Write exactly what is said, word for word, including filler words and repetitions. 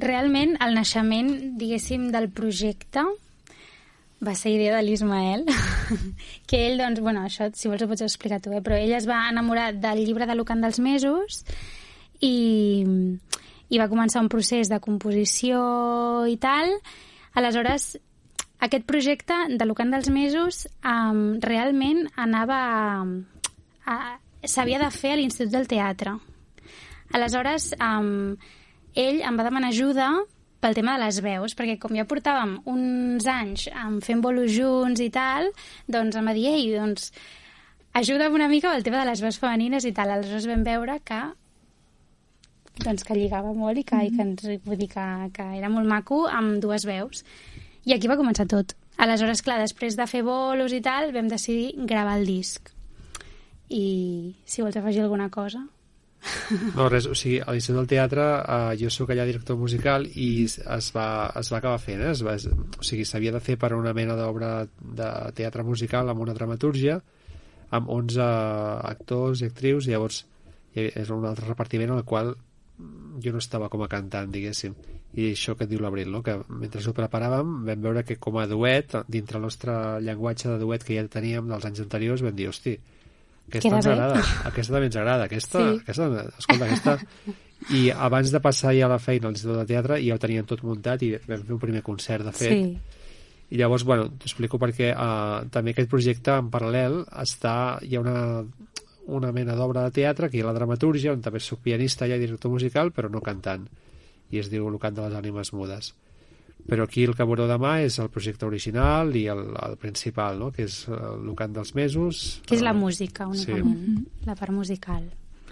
realment el naixement, diguéssim, del projecte va ser idea de l'Ismael, que ell, doncs, bueno, això, si vols ho pots explicar tu, eh? Però ell es va enamorar del llibre de Lucant dels Mesos i, i va començar un procés de composició i tal. Aleshores, aquest projecte de Lucant dels Mesos um, realment anava a, a, s'havia de fer a l'Institut del Teatre. Aleshores, um, ell em va demanar ajuda pel tema de les veus, perquè com ja portàvem uns anys um, fent bolos junts i tal, doncs em va dir, ei, doncs, ajuda'm una mica pel tema de les veus femenines i tal. Aleshores vam veure que doncs que lligava molt i que, mm-hmm. i que, ens, vull dir que, que era molt maco amb dues veus. I aquí va començar tot. Aleshores, clar, després de fer bolos i tal, vam decidir gravar el disc. I si vols afegir alguna cosa... No, res, o sigui, a l'Institut del Teatre eh, jo sóc allà director musical i es va, es va acabar fent, eh? es va, es, o sigui, s'havia de fer per una mena d'obra de teatre musical amb una dramatúrgia amb onze actors i actrius, i llavors és un altre repartiment en el qual jo no estava com a cantant, diguéssim, i això que et diu l'Abril, no? Que mentre ho preparàvem vam veure que com a duet, dintre el nostre llenguatge de duet que ja teníem dels anys anteriors, vam dir, hosti, aquesta ens agrada, aquesta també ens agrada, aquesta, sí. aquesta, escolta, aquesta... I abans de passar ja a la feina a l'Institut de Teatre ja ho teníem tot muntat i vam fer un primer concert, de fet. Sí. I llavors, bueno, t'ho explico perquè uh, també aquest projecte en paral·lel està, hi ha una, una mena d'obra de teatre, que hi ha la dramatúrgia, on també soc pianista i director musical, però no cantant, i es diu El cant de les ànimes mudes. Però aquí el que veureu demà és el projecte original i el, el principal, no? Que és el cant dels mesos. Que és la música, únicament, sí. La part musical.